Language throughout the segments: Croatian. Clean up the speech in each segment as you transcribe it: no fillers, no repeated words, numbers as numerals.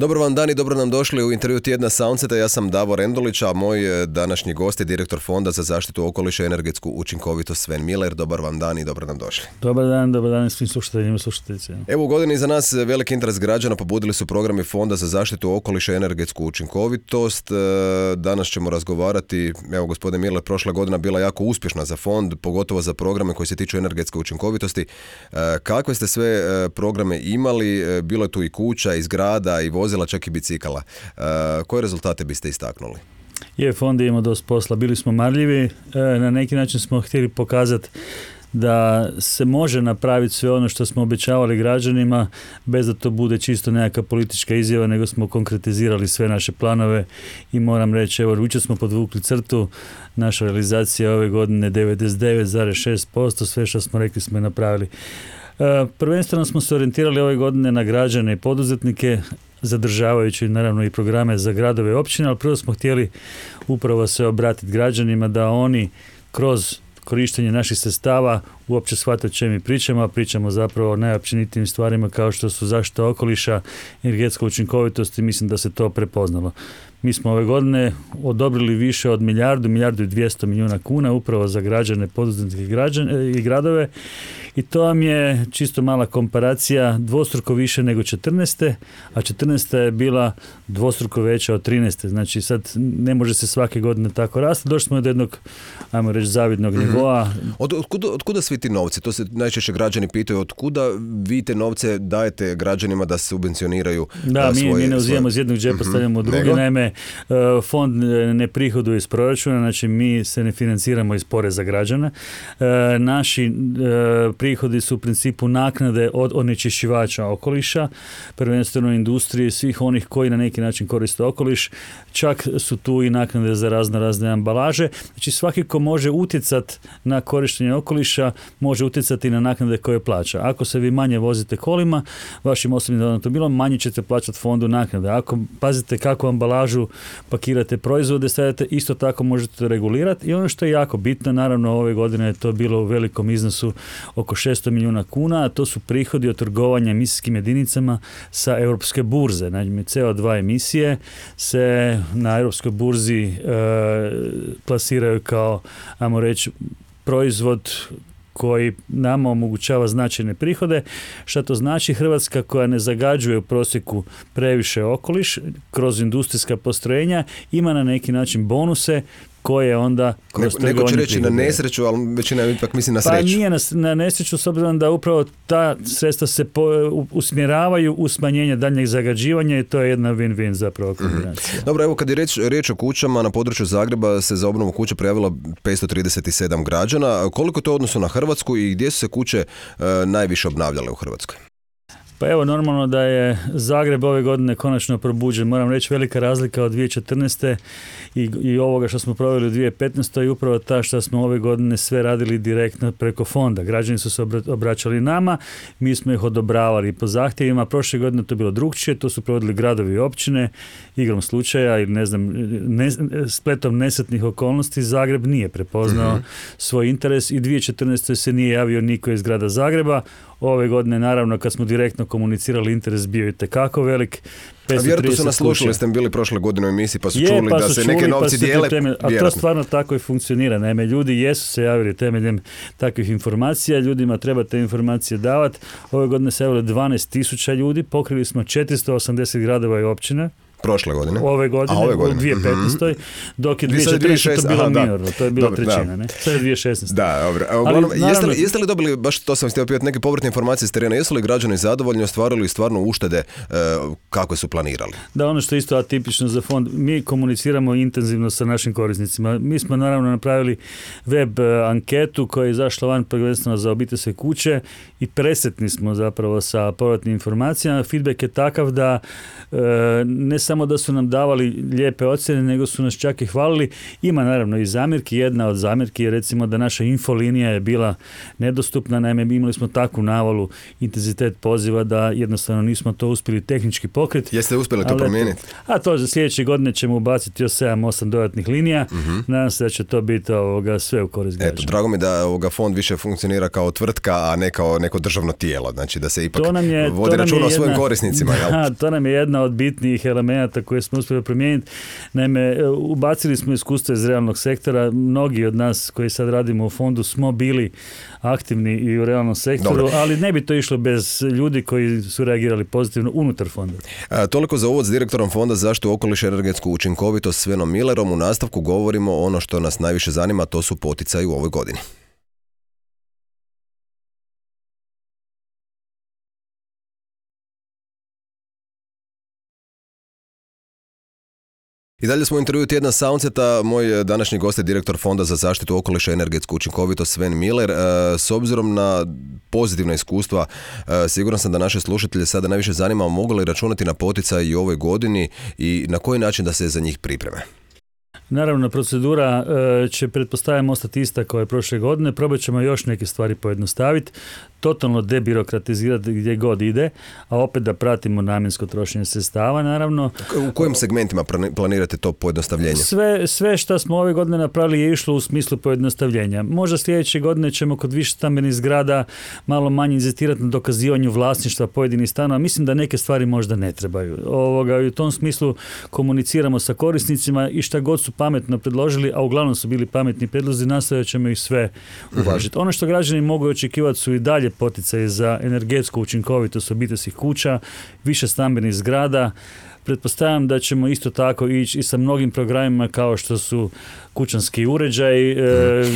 Dobar vam dan i dobro nam došli u intervju tjedna Soundseta. Ja sam Davor Endulić, a moj današnji gost je direktor Fonda za zaštitu okoliša i energetsku učinkovitost Sven Miller. Dobar vam dan i dobro nam došli. Dobar dan svim slušateljima i slušateljicama. Evo, u godini za nas veliki interes građana pobudili su programi Fonda za zaštitu okoliša i energetsku učinkovitost. Danas ćemo razgovarati, evo gospodine Miller, prošla godina bila jako uspješna za fond, pogotovo za programe koji se tiču energetske učinkovitosti. Kakve ste sve programe imali? Bilo je tu i kuća, i zgrada, i vozila, čak i bicikala. Koje rezultate biste istaknuli? Fond je imao dosta posla, bili smo marljivi, na neki način smo htjeli pokazati da se može napraviti sve ono što smo obećavali građanima bez da to bude čisto nekakva politička izjava, nego smo konkretizirali sve naše planove i moram reći, evo, jučer smo podvukli crtu, naša realizacija ove godine 99,6%, sve što smo rekli smo i napravili. Prvenstveno smo se orijentirali ove godine na građane i poduzetnike, zadržavajući naravno i programe za gradove i općine, ali prvo smo htjeli upravo se obratiti građanima da oni kroz korištenje naših sredstava uopće shvate o čemu mi pričamo, a pričamo zapravo o najopćenitijim stvarima kao što su zaštita okoliša, energetska učinkovitost i mislim da se to prepoznalo. Mi smo ove godine odobrili više od milijardu i 200 milijuna kuna upravo za građane, poduzetnike i gradove i to vam je čisto mala komparacija, dvostruko više nego 14. a 14. je bila dvostruko veća od 13. Znači sad ne može se svake godine tako rasti. Došli smo do jednog, ajmo reći, zavidnog nivoa. Od kuda svi ti novci? To se najčešće građani pitaju, od kuda vi te novce dajete građanima da subvencioniraju svoje... mi ne uzimamo iz jednog džepa, stavljamo u drugi. Naime, fond ne prihoduje iz proračuna, znači mi se ne financiramo iz poreza građana. Naši prihodi su u principu naknade od onečišćivača okoliša, prvenstveno industrije, svih onih koji na neki način koriste okoliš, čak su tu i naknade za razne ambalaže. Znači svaki ko može utjecati na korištenje okoliša, može utjecati na naknade koje plaća. Ako se vi manje vozite kolima, vašim osobnim automobilom, manje ćete plaćati fondu naknade. Ako pazite kakvu ambalažu pakirate proizvode, stavljate, isto tako možete regulirati. I ono što je jako bitno, naravno ove godine je to bilo u velikom iznosu oko 600 milijuna kuna, a to su prihodi od trgovanja emisijskim jedinicama sa europske burze. Znači, CO2 emisije se na europskoj burzi plasiraju kao, ajmo reći, proizvod koji nama omogućava značajne prihode. Što to znači? Hrvatska koja ne zagađuje u prosjeku previše okoliš kroz industrijska postrojenja ima na neki način bonuse koje onda kroz trgovanje neko će reći prihode. Na nesreću, ali većina ipak misli na sreću. Pa nije na nesreću, s obzirom da upravo ta sredstva se usmjeravaju u smanjenje daljnjeg zagađivanja i to je jedna win-win zapravo kombinacija. Dobro, evo kad je riječ o kućama, na području Zagreba se za obnovu kuće prijavilo 537 građana. Koliko je to u odnosu na Hrvatsku i gdje su se kuće najviše obnavljale u Hrvatskoj? Pa evo, normalno da je Zagreb ove godine konačno probuđen. Moram reći, velika razlika od 2014. i ovoga što smo proveli u 2015. i upravo ta što smo ove godine sve radili direktno preko fonda. Građani su se obraćali nama, mi smo ih odobravali po zahtjevima. Prošle godine to je bilo drugčije, to su provodili gradovi i općine, igrom slučaja ili spletom nesretnih okolnosti. Zagreb nije prepoznao svoj interes i 2014. se nije javio niko iz grada Zagreba. Ove godine, naravno, kad smo direktno komunicirali, interes bio i tekako velik. A vjerojatno su nas slušali, ste bili prošle godine u emisiji pa su čuli da se neke novci dijele. A to stvarno tako i funkcionira. Naime, ljudi jesu se javili temeljem takvih informacija, ljudima treba te informacije davati. Ove godine se javili 12.000 ljudi, pokrili smo 480 gradova i općine. Prošle godine? Ove godine. U 2015. Dok je 2014. to bilo minorno, to je bila trećina. Ne? Sad je 2016. Da, dobro. Jeste li dobili, baš to sam htio pitati, neke povratne informacije s terena, jesu li građani zadovoljni, ostvarili stvarno uštede kako su planirali? Da, ono što je isto atipično za fond, mi komuniciramo intenzivno sa našim korisnicima. Mi smo naravno napravili web anketu koja je izašla van prvenstveno za obiteljske kuće i presretni smo zapravo sa povratnim informacijama. Feedback je takav da ne samo samo da su nam davali lijepe ocjene, nego su nas čak i hvalili. Ima naravno i zamjerki. Jedna od zamjerki je recimo da naša infolinija je bila nedostupna. Naime, imali smo takvu navalu, intenzitet poziva da jednostavno nismo to uspjeli tehnički pokriti. Jeste uspjeli to promijeniti? A to za sljedeće godine ćemo ubaciti još 7-8 dodatnih linija. Nadam se da će to biti sve u korist građana. Eto, drago mi da fond više funkcionira kao tvrtka, a ne kao neko državno tijelo. Znači da se ipak vodi računa o svojim korisnicima. To nam je jedna od bitnijih elemenata koje smo uspjeli promijeniti. Naime, ubacili smo iskustvo iz realnog sektora. Mnogi od nas koji sad radimo u fondu smo bili aktivni i u realnom sektoru, ali ne bi to išlo bez ljudi koji su reagirali pozitivno unutar fonda. Toliko za uvod s direktorom Fonda za zaštitu okoliša i energetsku učinkovitost Svenom Millerom. U nastavku govorimo ono što nas najviše zanima, to su poticaji u ovoj godini. I dalje smo u intervjuu tjedna Soundseta. Moj današnji gost je direktor Fonda za zaštitu okoliša i energetsku učinkovitost Sven Miller. S obzirom na pozitivna iskustva, siguran sam da naše slušatelje sada najviše zanima mogu li računati na poticaj i u ovoj godini i na koji način da se za njih pripreme. Naravno, procedura će, pretpostavljamo, ostati ista kao je prošle godine. Probat ćemo još neke stvari pojednostaviti, totalno debirokratizirati gdje god ide, a opet da pratimo namjensko trošenje sredstava, naravno. U kojim segmentima planirate to pojednostavljenje? Sve što smo ove godine napravili je išlo u smislu pojednostavljenja. Možda sljedeće godine ćemo kod više stambenih zgrada malo manje inzistirati na dokazivanju vlasništva pojedinih stanova. Mislim da neke stvari možda ne trebaju. I u tom smislu komuniciramo sa korisnicima i šta god su pametno predložili, a uglavnom su bili pametni predlozi, nastojat ćemo ih sve uvažiti. Ono što građani mogu očekivati su i dalje poticaje za energetsku učinkovitost obiteljskih kuća, više stambenih zgrada. Pretpostavljam da ćemo isto tako ići i sa mnogim programima kao što su kućanski uređaj,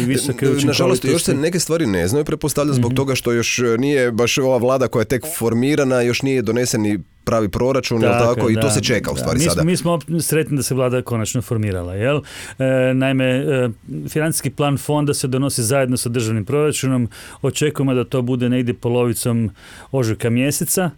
visoke učinkovitosti. Nažalost, još se neke stvari ne znaju, pretpostavljam zbog toga što još nije baš ova vlada koja je tek formirana, još nije donesen ni pravi proračun, tako, i to se čeka u stvari sada. Mi smo sretni da se vlada konačno formirala. Jel? Naime, financijski plan fonda se donosi zajedno sa državnim proračunom. Očekujemo da to bude negdje polovicom ožujka mjeseca.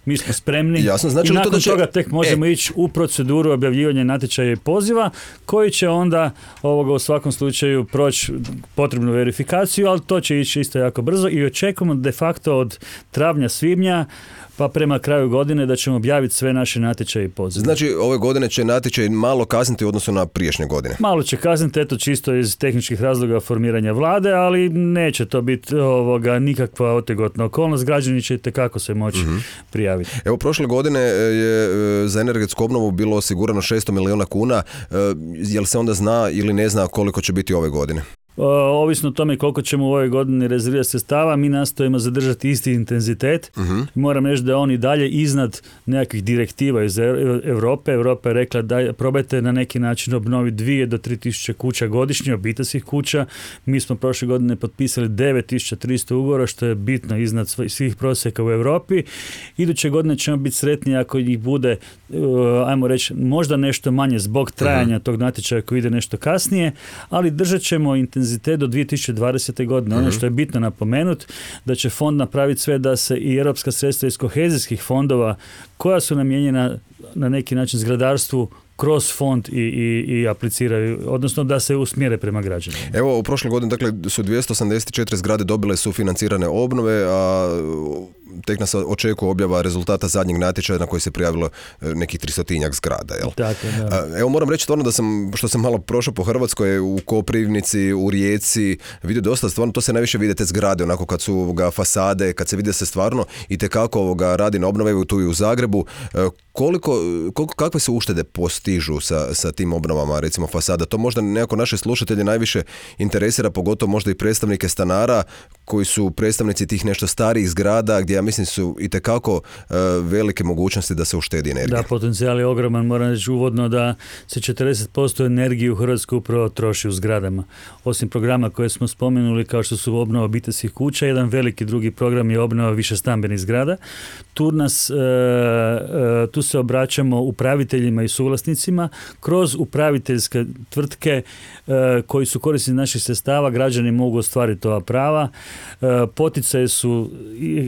Mi smo spremni. Jasno, znači i nakon toga tek možemo ići u proceduru objavljivanja natječaja i poziva, koji će onda u svakom slučaju proći potrebnu verifikaciju, ali to će ići isto jako brzo i očekujemo de facto od travnja, svibnja pa prema kraju godine da ćemo objaviti sve naše natječaje i pozive. Znači, ove godine će natječaj malo kasniti u odnosu na prijašnje godine? Malo će kasniti, eto čisto iz tehničkih razloga formiranja vlade, ali neće to biti nikakva otegotna okolnost. Građani će itekako se moći prijaviti. Evo, prošle godine je za energetsku obnovu bilo osigurano 600 milijuna kuna. Jel se onda zna ili ne zna koliko će biti ove godine? Ovisno o tome koliko ćemo u ovoj godini rezervirati sredstava, mi nastojimo zadržati isti intenzitet. Moram reći da on i dalje iznad nekakvih direktiva iz Europe. Europa je rekla da probajte na neki način obnoviti 2 do 3 tisuće kuća godišnje, obiteljskih kuća. Mi smo prošle godine potpisali 9300 ugovora, što je bitno iznad svih prosjeka u Europi. Iduće godine ćemo biti sretni ako ih bude, ajmo reći, možda nešto manje zbog trajanja tog natječaja koji ide nešto kasnije, ali držat ćemo intenzitet do 2020. godine. Ono što je bitno napomenuti, da će fond napraviti sve da se i europska sredstva iz kohezijskih fondova koja su namijenjena na neki način zgradarstvu kroz fond i apliciraju, odnosno da se usmjere prema građanima. Evo, u prošloj godini su 284 zgrade dobile sufinancirane obnove, a tek nas očekuje objava rezultata zadnjeg natječaja na koji se prijavilo nekih 300-tinjak zgrada. Jel? Tako, da. Evo, moram reći stvarno što sam malo prošao po Hrvatskoj, u Koprivnici, u Rijeci, vidio dosta, stvarno to se najviše vide te zgrade, onako kad su fasade, kad se vide se stvarno i tekako radi na obnove, tu i u Zagrebu. Kakve se uštede postižu sa tim obnovama, recimo fasada? To možda nekako naše slušatelje najviše interesira, pogotovo možda i predstavnike stanara koji su predstavnici tih nešto starijih zgrada gdje ja mislim su itekako velike mogućnosti da se uštedi energija. Da, potencijal je ogroman. Moram reći uvodno da se 40% energije u Hrvatskoj upravo troši u zgradama. Osim programa koje smo spomenuli kao što su obnova obiteljskih kuća, jedan veliki drugi program je obnova višestambenih zgrada. Tu se obraćamo upraviteljima i suvlasnicima korisnicima, kroz upraviteljske tvrtke koji su korisnici naših sredstava, građani mogu ostvariti ova prava. Poticaji su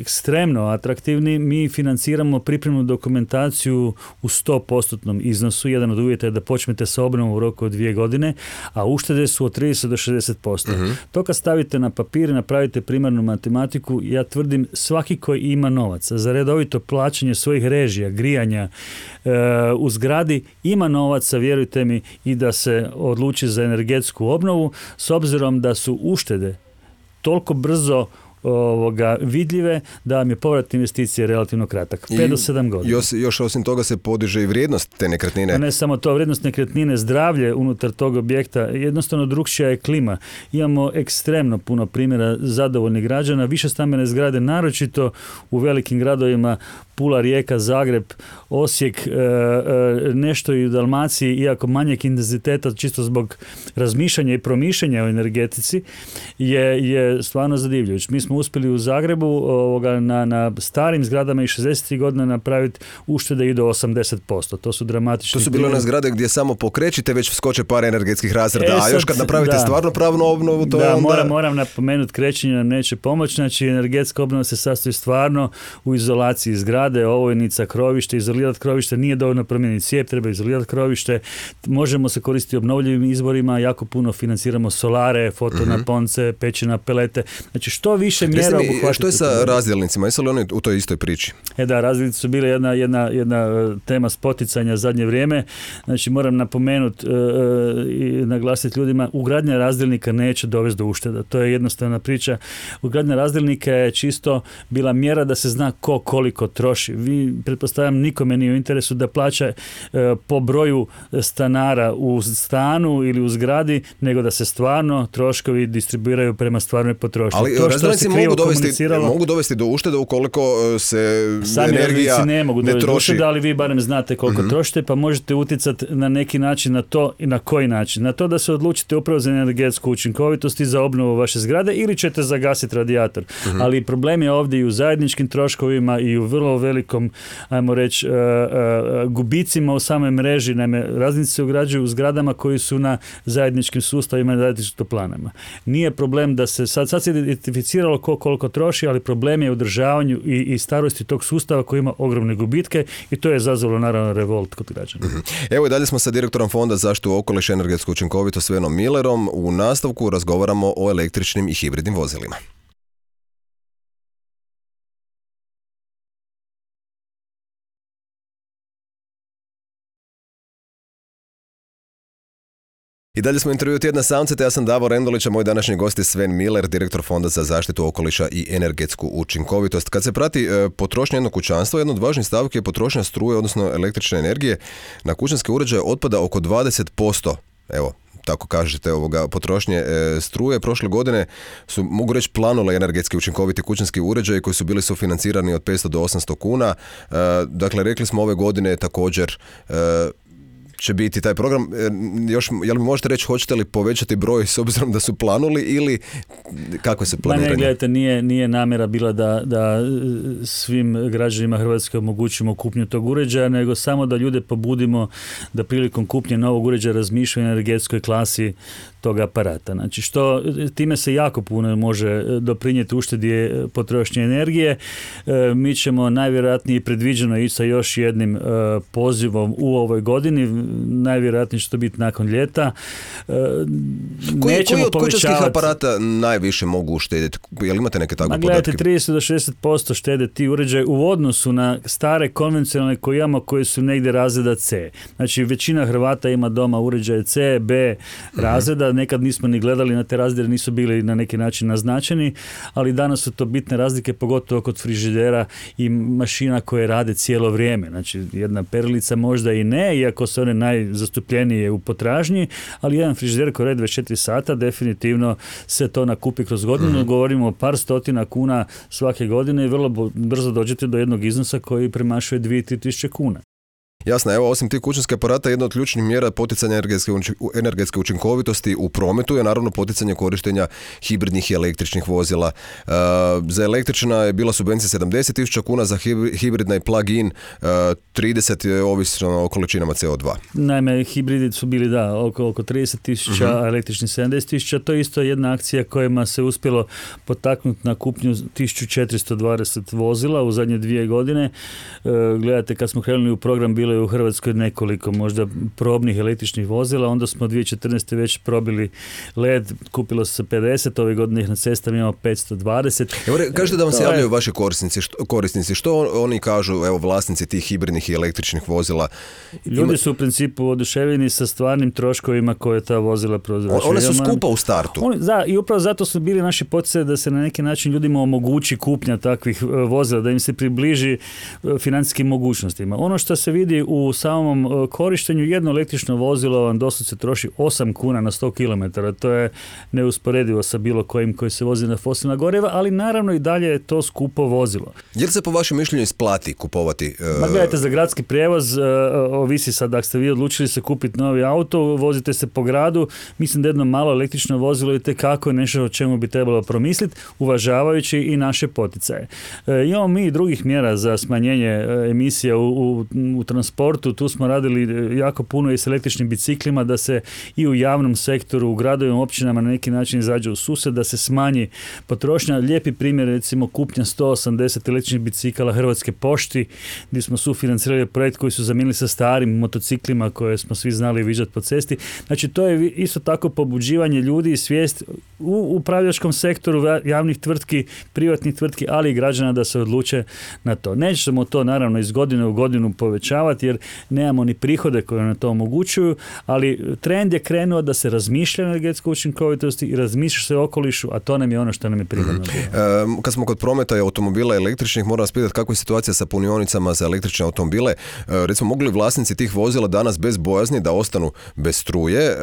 ekstremno atraktivni. Mi financiramo pripremnu dokumentaciju u 100% iznosu. Jedan od uvjeta je da počnete sa obnovom u roku od 2 godine, a uštede su od 30 do 60%. To kad stavite na papir i napravite primarnu matematiku, ja tvrdim svaki koji ima novaca za redovito plaćanje svojih režija, grijanja u zgradi, ima novaca, vjerujte mi, i da se odluči za energetsku obnovu, s obzirom da su uštede toliko brzo vidljive da vam je povrat investicije relativno kratak. 5 do 7 godina. Još osim toga se podiže i vrijednost te nekretnine. A ne samo to, vrijednost nekretnine, zdravlje unutar tog objekta, jednostavno drukčija je klima. Imamo ekstremno puno primjera zadovoljnih građana, više stambene zgrade, naročito u velikim gradovima, Pula, Rijeka, Zagreb, Osijek, nešto i u Dalmaciji, iako manjeg intenziteta, čisto zbog razmišljanja i promišljanja o energetici, je stvarno zadivljujući. Mi smo uspjeli u Zagrebu na starim zgradama i 60 godina napraviti uštede i do 80%. To su dramatični. To su bile one zgrade gdje samo pokrećite, već skoče par energetskih razreda, a još kad napravite stvarno pravnu obnovu, to je onda... Moram napomenuti, krećenje nam neće pomoći, znači energetska obnova se sastoji stvarno u izolaciji zgrade, ovojnica, krovište, izolirati krovište, nije dovoljno promijeniti cijep, treba izolirati krovište, možemo se koristiti obnovljivim izvorima, jako puno financiramo solare, fotonaponce, peći na pelete, znači što više mjera obuhvatiti. Što je sa razdjelnicima? Jesu li oni u toj istoj priči? Da, razdjelnice su bile jedna tema spoticanja zadnje vrijeme. Znači moram napomenuti i naglasiti ljudima, ugradnja razdjelnika neće dovesti do ušteda. To je jednostavna priča. Ugradnja razdjelnika je čisto bila mjera da se zna ko koliko troši. Vi, pretpostavljam, nikome nije u interesu da plaća po broju stanara u stanu ili u zgradi, nego da se stvarno troškovi distribuiraju prema stvarnoj potrošnji. Ali razdjelnici mogu dovesti do uštede ukoliko se sami energija ne mogu ne troši. Uštede, ali vi barem znate koliko trošite, pa možete utjecati na neki način na to i na koji način. Na to da se odlučite upravo za energetsku učinkovitost i za obnovu vaše zgrade ili ćete zagasiti radijator. Ali problem je ovdje i u zajedničkim troškovima i u vrlo velikom, ajmo reći, gubicima u samoj mreži. Naime, razdjelnici se ugrađuju u zgradama koji su na zajedničkim sustavima i zajedničkim toplanama. Nije problem da se sad se identificiralo koliko troši, ali problem je u održavanju i starosti tog sustava koji ima ogromne gubitke i to je izazvalo naravno revolt kod građana. Evo i dalje smo sa direktorom Fonda za zaštitu okoliša i energetsku učinkovitost Svenom Millerom. U nastavku razgovaramo o električnim i hibridnim vozilima. I dalje smo intervju tjedna samce, te ja sam Davor Endolić, a moj današnji gost je Sven Miller, direktor Fonda za zaštitu okoliša i energetsku učinkovitost. Kad se prati potrošnja jednog kućanstva, jedna od važnih stavki je potrošnja struje, odnosno električne energije. Na kućanske uređaje otpada oko 20%. Evo, tako kažete, potrošnje struje. Prošle godine su, mogu reći, planule energetski učinkoviti kućanski uređaji koji su bili sufinancirani od 500 do 800 kuna. Dakle, rekli smo ove godine također će biti taj program. Jel mi možete reći, hoćete li povećati broj s obzirom da su planuli ili kako se planiranje? Gledajte, nije namjera bila da svim građanima Hrvatske omogućimo kupnju tog uređaja, nego samo da ljude pobudimo da prilikom kupnje novog uređaja razmišljaju o energetskoj klasi tog aparata. Znači, time se jako puno može doprinijeti uštedi potrošnje energije. Mi ćemo najvjerojatnije predviđeno ići sa još jednim pozivom u ovoj godini. Najvjerojatnije će to biti nakon ljeta. Koji od kućanskih aparata najviše mogu uštediti? Jel imate neke takve podatke? Gledajte, 30 do 60% štede ti uređaji u odnosu na stare konvencionalne koje imamo, koje su negdje razreda C. Znači, većina Hrvata ima doma uređaje C, B razreda. Nekad nismo ni gledali na te razrede, nisu bili na neki način naznačeni, ali danas su to bitne razlike, pogotovo kod frižidera i mašina koje rade cijelo vrijeme. Znači, jedna perilica možda i ne, iako su one najzastupljenije u potražnji, ali jedan frižider koji radi 24 sata, definitivno se to nakupi kroz godinu. Govorimo o par stotina kuna svake godine i vrlo brzo dođete do jednog iznosa koji premašuje 2-3 tisuće kuna. Jasno, evo, osim tih kućanskih aparata, jedna od ključnih mjera poticanja energetske učinkovitosti u prometu je naravno poticanje korištenja hibridnih i električnih vozila. Za električna je bila subvencija 70.000 kuna, za hibridna i plug-in 30 je ovisno o količinama CO2. Naime, hibridi su bili oko 30.000, a električni 70.000. To je isto jedna akcija kojima se uspjelo potaknuti na kupnju 1420 vozila u zadnje 2 godine. Gledajte, kad smo krenuli u program, bilo je u Hrvatskoj nekoliko možda probnih električnih vozila, onda smo 2014. već probili led, kupilo se 50, ove godine ih na cestama imamo 520. Evo, kažete da vam se javljaju vaši korisnici, što oni kažu, evo, vlasnici tih hibridnih i električnih vozila? Ljudi su u principu oduševljeni sa stvarnim troškovima koje ta vozila prouzročuju. One su skupa u startu. I upravo zato su bili naši poticaji da se na neki način ljudima omogući kupnja takvih vozila, da im se približi financijskim mogućnostima. Ono što se vidi u samom korištenju, jedno električno vozilo vam doslovce troši 8 kuna na 100 km. To je neusporedivo sa bilo kojim koji se vozi na fosilna goriva, ali naravno i dalje je to skupo vozilo. Je li se po vašem mišljenju isplati kupovati? Gledajte, za gradski prijevoz ovisi sad, ako ste vi odlučili se kupiti novi auto, vozite se po gradu, mislim da jedno malo električno vozilo je itekako nešto o čemu bi trebalo promisliti, uvažavajući i naše poticaje. Imamo mi i drugih mjera za smanjenje emisija u transportu, tu smo radili jako puno i s električnim biciklima, da se i u javnom sektoru, u gradovima, općinama na neki način izađe u susret, da se smanji potrošnja. Lijepi primjer, recimo, kupnja 180 električnih bicikala Hrvatske pošti, gdje smo sufinancirali projekt koji su zamijenili sa starim motociklima koje smo svi znali viđati po cesti. Znači, to je isto tako pobuđivanje ljudi i svijest u upravljačkom sektoru javnih tvrtki, privatnih tvrtki, ali i građana da se odluče na to. Nećemo to naravno iz godine u godinu povećavati jer nemamo ni prihode koje na to omogućuju, ali trend je krenuo da se razmišlja o energetskoj učinkovitosti i razmišlja se o okolišu, a to nam je ono što nam je prirodno. Kad smo kod prometa i automobila električnih, moram vas pitati kako je situacija sa punionicama za električne automobile. Recimo, mogu li vlasnici tih vozila danas bez bojazni da ostanu bez struje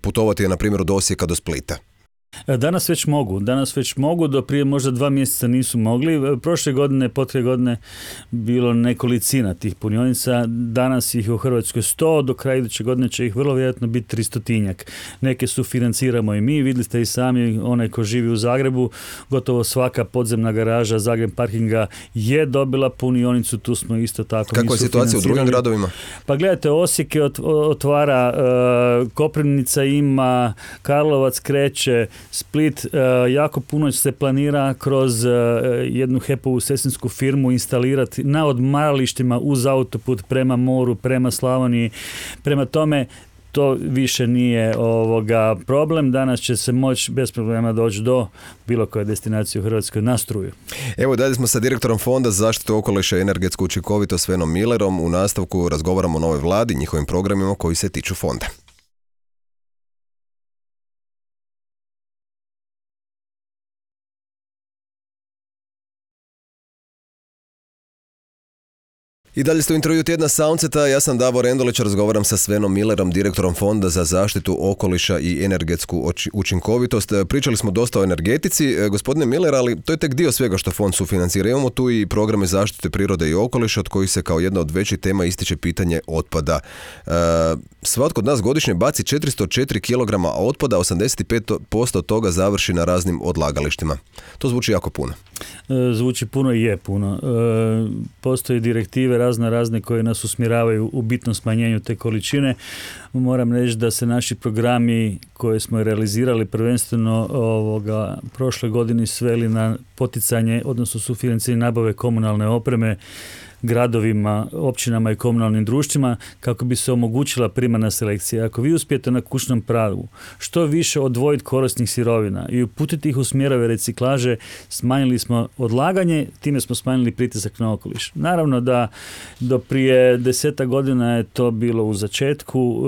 putovati, na primjer, od Osijeka do Splita? Danas već mogu, do prije možda 2 mjeseca nisu mogli. Prošle godine, potre godine bilo nekolicina tih punionica, danas ih u Hrvatskoj 100, do kraja iduće godine će ih vrlo vjerojatno biti 300-tinjak. Neke su financiramo i mi, vidjeli ste i sami, onaj ko živi u Zagrebu, gotovo svaka podzemna garaža Zagreb parkinga je dobila punionicu, tu smo isto tako. Kako je situacija u drugim gradovima? Pa gledajte, Osijek je otvara, Koprivnica ima, Karlovac kreće, Split, jako puno se planira kroz jednu HEP-ovu sestinsku firmu instalirati na odmaralištima uz autoput prema moru, prema Slavoniji. Prema tome, to više nije problem. Danas će se moći bez problema doći do bilo koje destinacije u Hrvatskoj na struju. Evo, dalje smo sa direktorom Fonda za zaštitu okoliša i energetsku učinkovitost Svenom Millerom. U nastavku razgovaramo o novoj vladi, njihovim programima koji se tiču fonda. I dalje ste u intervju tjedna Soundseta, ja sam Davor Endolić, razgovaram sa Svenom Millerom, direktorom Fonda za zaštitu okoliša i energetsku učinkovitost. Pričali smo dosta o energetici, gospodine Miller, ali to je tek dio svega što fond sufinancira. Imamo tu i programe zaštite prirode i okoliša, od kojih se kao jedna od većih tema ističe pitanje otpada. Svatko od nas godišnje baci 404 kg otpada, 85% toga završi na raznim odlagalištima. To zvuči jako puno. Zvuči puno i je puno. Postoje direktive razne koje nas usmjeravaju u bitnom smanjenju te količine. Moram reći da se naši programi koje smo realizirali prvenstveno prošle godine sveli na poticanje, odnosno sufinanciranje nabave komunalne opreme gradovima, općinama i komunalnim društvima kako bi se omogućila primarna selekcija. Ako vi uspijete na kućnom pragu što više odvojiti korisnih sirovina i uputiti ih u smjerove reciklaže, smanjili smo odlaganje, time smo smanjili pritisak na okoliš. Naravno da do prije 10 godina je to bilo u začetku,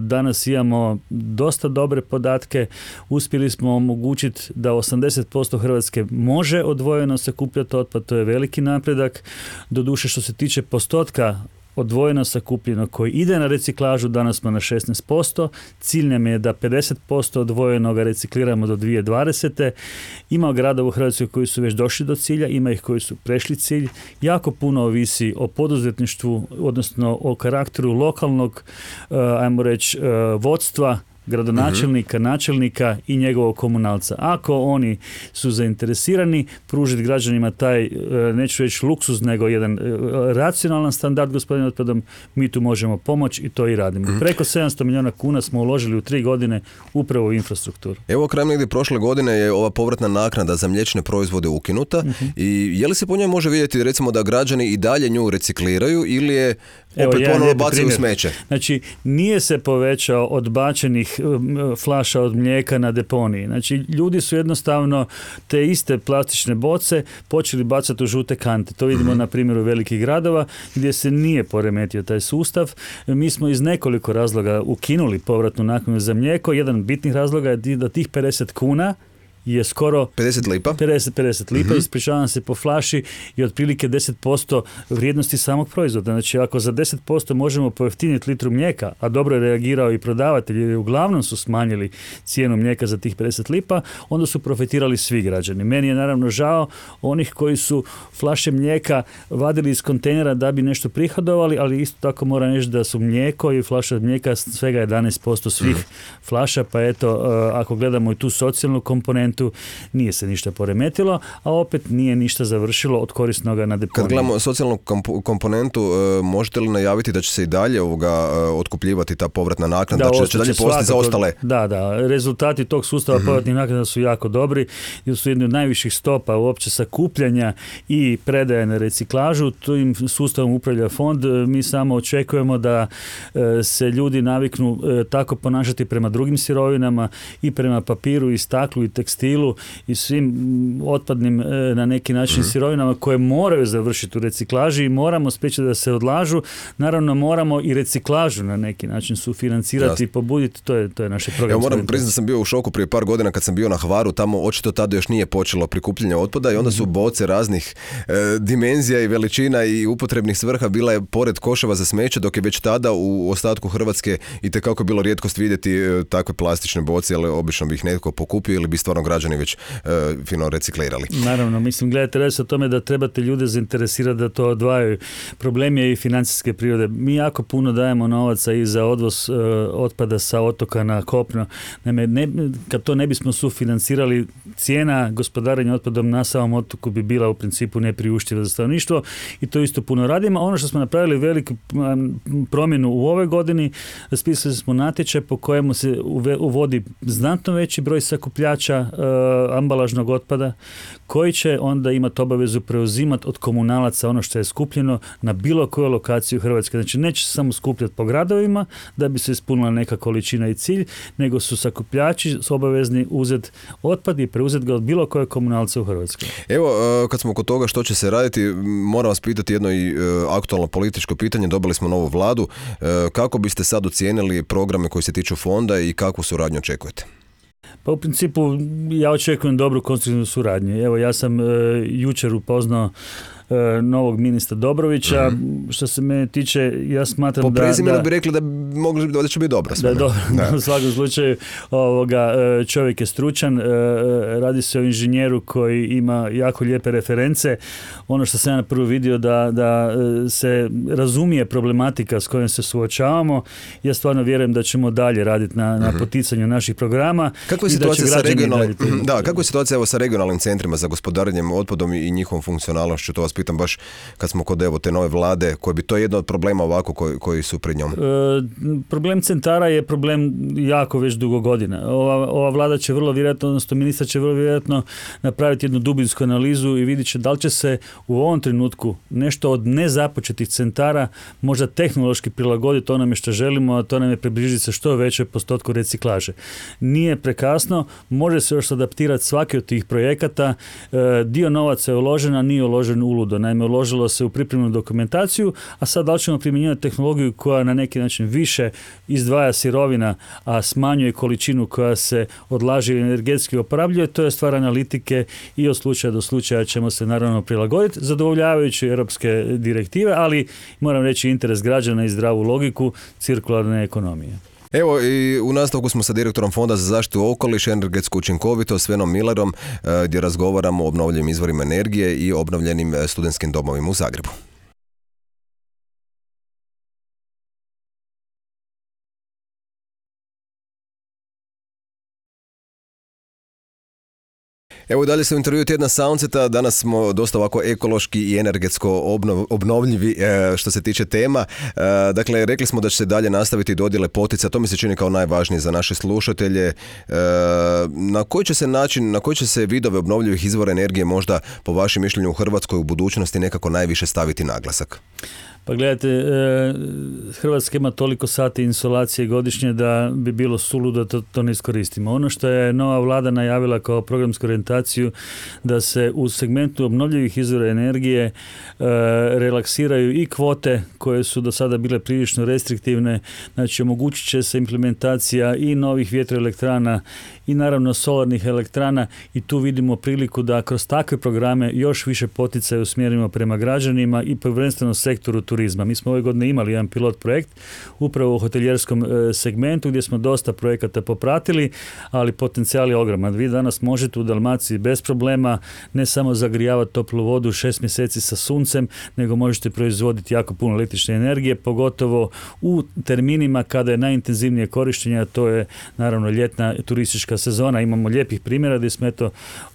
danas imamo dosta dobre podatke, uspjeli smo omogućiti da 80% Hrvatske može odvojeno sakupljati otpad, to je veliki napredak. Doduše, što se tiče postotka odvojeno sakupljeno koji ide na reciklažu, danas smo na 16%, cilj nam je da 50% odvojenoga recikliramo do 2020. Ima gradova u Hrvatskoj koji su već došli do cilja, ima ih koji su prešli cilj. Jako puno ovisi o poduzetništvu, odnosno o karakteru lokalnog, ajmo reći, vodstva, gradonačelnika, načelnika i njegovog komunalca. Ako oni su zainteresirani pružiti građanima taj, neću reći luksuz, nego jedan racionalan standard gospodine otpadom, mi tu možemo pomoći i to i radimo. Preko 700 milijuna kuna smo uložili u 3 godine upravo u infrastrukturu. Evo, krajem negdje prošle godine je ova povratna naknada za mliječne proizvode ukinuta i je li se po njoj može vidjeti recimo da građani i dalje nju recikliraju ili je opet ponovno bacaju u smeće? Znači, nije se povećao odbačenih flaša od mlijeka na deponiji. Znači, ljudi su jednostavno te iste plastične boce počeli bacati u žute kante. To vidimo na primjeru velikih gradova gdje se nije poremetio taj sustav. Mi smo iz nekoliko razloga ukinuli povratnu naknadu za mlijeko. Jedan od bitnih razloga je da tih 50 kuna je skoro 50 lipa, 50 lipa, ispričavam se, po flaši i otprilike 10% vrijednosti samog proizvoda. Znači, ako za 10% možemo pojeftiniti litru mlijeka, a dobro je reagirao i prodavatelj, jer uglavnom su smanjili cijenu mlijeka za tih 50 lipa, onda su profitirali svi građani. Meni je naravno žao onih koji su flaše mlijeka vadili iz kontejnera da bi nešto prihodovali, ali isto tako moram reći da su mlijeko i flaša mlijeka svega 11% svih flaša, pa eto, ako gledamo i tu socijalnu komponentu, nije se ništa poremetilo, a opet nije ništa završilo od korisnoga na deponiju. Kad gledamo socijalnu komponentu, možete li najaviti da će se i dalje otkupljivati ta povratna naknada, da će dalje postati za ostale? Da, rezultati tog sustava povratnih naknada su jako dobri, jer su jedni od najviših stopa uopće sakupljanja i predaje na reciklažu. Tim sustavom upravlja fond. Mi samo očekujemo da se ljudi naviknu tako ponašati prema drugim sirovinama i prema papiru i staklu i tekstilu i svim otpadnim na neki način sirovinama koje moraju završiti u reciklaži i moramo spriječiti da se odlažu. Naravno, moramo i reciklažu na neki način sufinancirati i pobuditi. To je naše program. Ja moram priznati da sam bio u šoku prije par godina kad sam bio na Hvaru, tamo očito tada još nije počelo prikupljanje otpada i onda su boce raznih dimenzija i veličina i upotrebnih svrha bila je pored koševa za smeće, dok je već tada u ostatku Hrvatske itekako bilo rijetkost vidjeti takve plastične boce, ali obično bi ih netko pokupio ili bi stvarno građani već fino reciklirali. Naravno, mislim, gledajte, radi se o tome da trebate ljude zainteresirati da to odvajaju. Problem je i financijske prirode. Mi jako puno dajemo novaca i za odvoz otpada sa otoka na kopno. Kad to ne bismo sufinancirali, cijena gospodarenja otpadom na samom otoku bi bila u principu nepriuštiva za stanovništvo i to isto puno radimo. Ono što smo napravili veliku promjenu u ovoj godini, raspisali smo natječaj po kojemu se uvodi znatno veći broj sakupljača ambalažnog otpada koji će onda imati obavezu preuzimati od komunalaca ono što je skupljeno na bilo koju lokaciju Hrvatske. Znači, neće se samo skupljati po gradovima da bi se ispunila neka količina i cilj, nego su sakupljači obavezni uzeti otpad i preuzeti ga od bilo koje komunalca u Hrvatskoj. Evo, kad smo kod toga što će se raditi, moram vas pitati jedno i aktualno političko pitanje. Dobili smo novu vladu. Kako biste sad ocijenili programe koji se tiču fonda i kakvu suradnju očekujete? Pa u principu ja očekujem dobru konstruktivnu suradnju. Evo, ja sam jučer upoznao novog ministra Dobrovića. Što se mene tiče, ja smatram po prezimenu bi rekli da će biti dobro. Da je dobro. U svakom slučaju čovjek je stručan, radi se o inženjeru koji ima jako lijepe reference. Ono što sam ja na prvo vidio da se razumije problematika s kojom se suočavamo. Ja stvarno vjerujem da ćemo dalje raditi na poticanju naših programa. Kako je situacija sa regionalnim centrima za gospodarenjem otpadom i njihovom funkcionalnošću? To vas pitam baš kad smo kod te nove vlade, koji bi to jedno od problema ovako koji su pred njom. Problem centara je problem jako već dugo godina. Ova vlada će vrlo vjerojatno, odnosno ministar će vrlo vjerojatno napraviti jednu dubinsku analizu i vidjet će da li će se u ovom trenutku nešto od nezapočetih centara možda tehnološki prilagoditi onome što želimo, a to nam je približiti se što veće postotku reciklaže. Nije prekasno, može se još adaptirati svaki od tih projekata. Dio novaca je uložen, a nije uložen u suludo. Naime, uložilo se u pripremnu dokumentaciju, a sad da li ćemo primjenjivati tehnologiju koja na neki način više izdvaja sirovina, a smanjuje količinu koja se odlaže i energetski oporabljuje, to je stvar analitike i od slučaja do slučaja ćemo se naravno prilagoditi, zadovoljavajući europske direktive, ali moram reći interes građana i zdravu logiku cirkularne ekonomije. Evo i u nastavku smo sa direktorom Fonda za zaštitu okoliša i energetsku učinkovitost Svenom Millerom gdje razgovaramo o obnovljivim izvorima energije i obnovljenim studentskim domovima u Zagrebu. Evo dalje se u intervju tjedna Soundseta, danas smo dosta ovako ekološki i energetsko obnovljivi što se tiče tema. Dakle, rekli smo da će se dalje nastaviti dodjele potica, to mi se čini kao najvažnije za naše slušatelje. Na koji će se način, na koji će se vidove obnovljivih izvora energije možda po vašem mišljenju u Hrvatskoj u budućnosti nekako najviše staviti naglasak? Pa gledajte, Hrvatska ima toliko sati insolacije godišnje da bi bilo suludo da to ne iskoristimo. Ono što je nova vlada najavila kao programsku orijentaciju da se u segmentu obnovljivih izvora energije relaksiraju i kvote koje su do sada bile prilično restriktivne, znači omogućit će se implementacija i novih vjetroelektrana i naravno solarnih elektrana i tu vidimo priliku da kroz takve programe još više poticaja usmjerimo prema građanima i prvenstveno sektoru turizma. Mi smo ove godine imali jedan pilot projekt upravo u hotelijerskom segmentu gdje smo dosta projekata popratili, ali potencijal je ogroman. Vi danas možete u Dalmaciji bez problema ne samo zagrijavati toplu vodu 6 mjeseci sa suncem, nego možete proizvoditi jako puno električne energije, pogotovo u terminima kada je najintenzivnije korištenje, a to je naravno ljetna turistička sezona. Imamo lijepih primjera gdje smo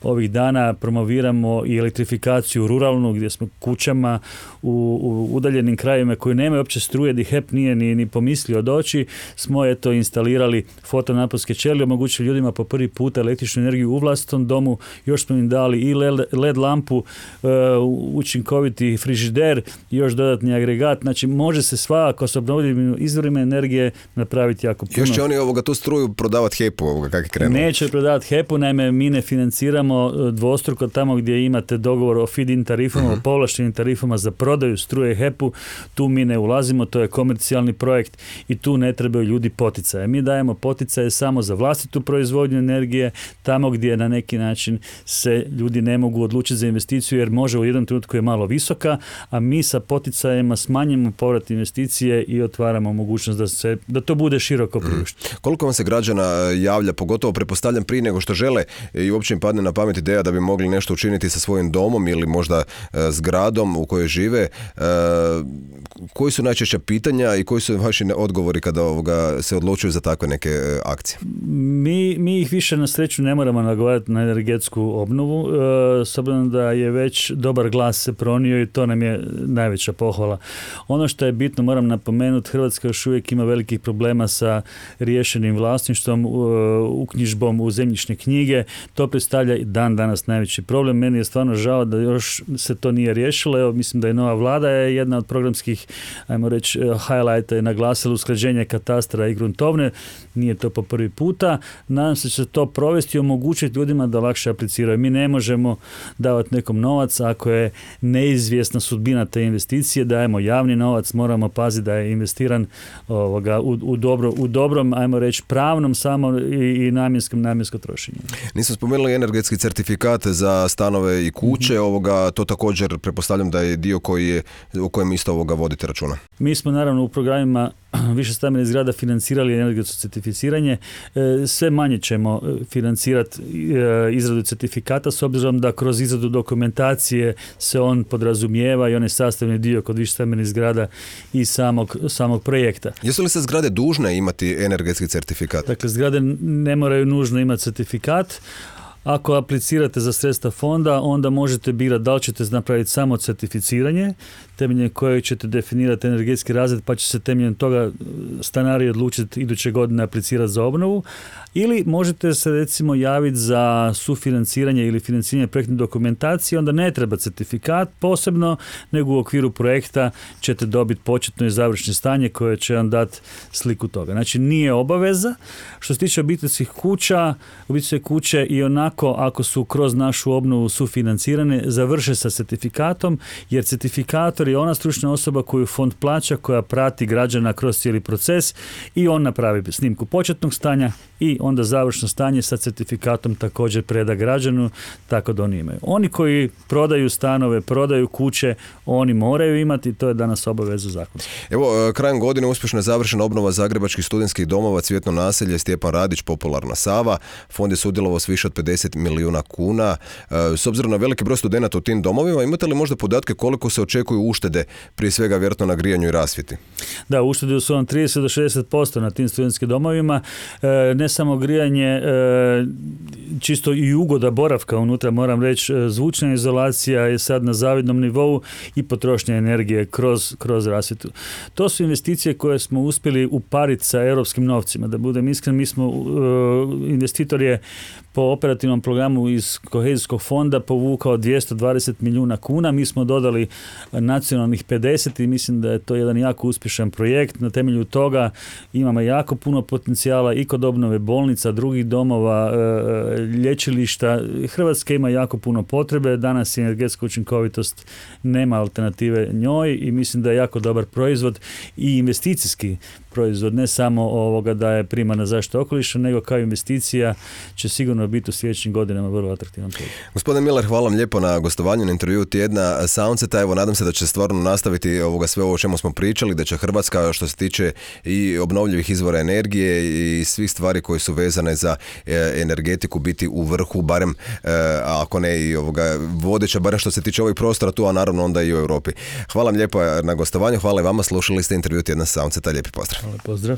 ovih dana promoviramo i elektrifikaciju ruralnu gdje smo kućama u udaljenim krajevima koji nemaju uopće struje, gdje HEP nije ni pomislio doći, smo instalirali fotonaponske ćelije, omogućili ljudima po prvi puta električnu energiju u vlastitom domu, još smo im dali i LED lampu, učinkoviti frižider i još dodatni agregat, znači može se svakako s obnovljivim izvorima energije napraviti jako puno. Još će oni tu struju prodavati HEP-u, kako je krenulo? Neće prodavati HEP-u, naime mi ne financiramo dvostruko tamo gdje imate dogovor o feed-in tarifama, o povlaštenim tarifama za prodaju struje HEP-u, tu mi ne ulazimo, to je komercijalni projekt i tu ne trebaju ljudi poticaje. Mi dajemo poticaje samo za vlastitu proizvodnju energije, tamo gdje na neki način se ljudi ne mogu odlučiti za investiciju jer može u jednom trenutku je malo visoka, a mi sa poticajima smanjimo povrat investicije i otvaramo mogućnost da to bude široko priušteno. Koliko vam se građana javlja, pogotovo pretpostavljam prije nego što žele i uopće im padne na pamet ideja da bi mogli nešto učiniti sa svojim domom ili možda zgradom u kojoj žive, koji su najčešća pitanja i koji su vaši odgovori kada se odlučuju za takve neke akcije? Mi ih više na sreću ne moramo nagovarati na energetsku obnovu, s obzirom da je već dobar glas se pronio i to nam je najveća pohvala. Ono što je bitno, moram napomenuti, Hrvatska još uvijek ima velikih problema sa riješenim vlasništvom, uknjižbom u zemljišne knjige. To predstavlja i danas najveći problem. Meni je stvarno žao da još se to nije riješilo. Evo, mislim da je nova vlada je jedna od programskih, ajmo reći, highlighta je naglasila usklađenje katastra i gruntovne. Nije to po prvi puta. Nadam se će to provesti i omogućiti ljudima da lakše apliciraju. Mi ne možemo davati nekom novac ako je neizvjesna sudbina te investicije. Dajemo javni novac, moramo paziti da je investiran u dobrom, ajmo reći, pravnom samo i namjensko trošenje. Nisam spomenuli energetski certifikat za stanove i kuće, to također pretpostavljam da je dio o kojem isto vodite računa. Mi smo naravno u programima više stambenih zgrada financirali energetsko certificiranje. Sve manje ćemo financirati izradu certifikata s obzirom da kroz izradu dokumentacije se on podrazumijeva i on je sastavni dio kod više stambenih zgrada i samog projekta. Jesu li se zgrade dužne imati energetski certifikat? Dakle, zgrade ne moraju nužno imati certifikat. Ako aplicirate za sredstva fonda, onda možete birati da li ćete napraviti samo certificiranje, temeljem kojeg ćete definirati energetski razred, pa će se temeljem toga stanari odlučiti iduće godine aplicirati za obnovu, ili možete se recimo javiti za sufinanciranje ili financiranje projektne dokumentacije, onda ne treba certifikat posebno, nego u okviru projekta ćete dobiti početno i završno stanje koje će vam dati sliku toga. Znači nije obaveza. Što se tiče obiteljskih kuća, obiteljske kuće i onako ako su kroz našu obnovu sufinancirane, završe sa certifikatom, jer certifikator je ona stručna osoba koju fond plaća, koja prati građana kroz cijeli proces i on napravi snimku početnog stanja i onda završno stanje sa certifikatom također preda građanu, tako da oni imaju. Oni koji prodaju stanove, prodaju kuće, oni moraju imati, to je danas obaveza zakona. Evo, krajem godine uspješno je završena obnova zagrebačkih studentskih domova, Cvjetno naselje, Stjepan Radić, Popularna Sava. Fond je sudjelovao s više od 50 milijuna kuna. S obzirom na veliki broj studenata u tim domovima, imate li možda podatke koliko se očekuju uštede, prije svega vjerojatno na grijanju i rasvjeti? Da, uštede su vam 30 do 60% na tim studentskim domovima. Ne samo grijanje, čisto i ugoda boravka unutra, moram reći, zvučna izolacija je sad na zavidnom nivou i potrošnja energije kroz rasvjetu. To su investicije koje smo uspjeli upariti sa europskim novcima. Da budem iskren, mi smo, investitor je po operativnom programu iz kohezijskog fonda povukao 220 milijuna kuna, mi smo dodali nacionalnih 50 i mislim da je to jedan jako uspješan projekt. Na temelju toga imamo jako puno potencijala i kod obnove bolnica, drugih domova, lječilišta. Hrvatska ima jako puno potrebe, danas je energetska učinkovitost, nema alternative njoj i mislim da je jako dobar proizvod i investicijski proizvod, ne samo da je primarna zaštita okoliša, nego kao investicija će sigurno biti u sljedećim godinama vrlo atraktivan projekt. Gospodin Miller, hvala vam lijepo na gostovanju na intervju tjedna Soundseta. Evo, nadam se da će stvarno nastaviti sve ovo o čemu smo pričali, da će Hrvatska, što se tiče i obnovljivih izvora energije i svih stvari koje su vezane za energetiku, biti u vrhu, barem ako ne i vodeća, barem što se tiče ovih prostora tu, a naravno onda i u Europi. Hvala vam lijepo na gostovanju, hvala i vama, slušali ste intervju tjedna Soundseta, lijepi pozdrav. Hvala, pozdrav.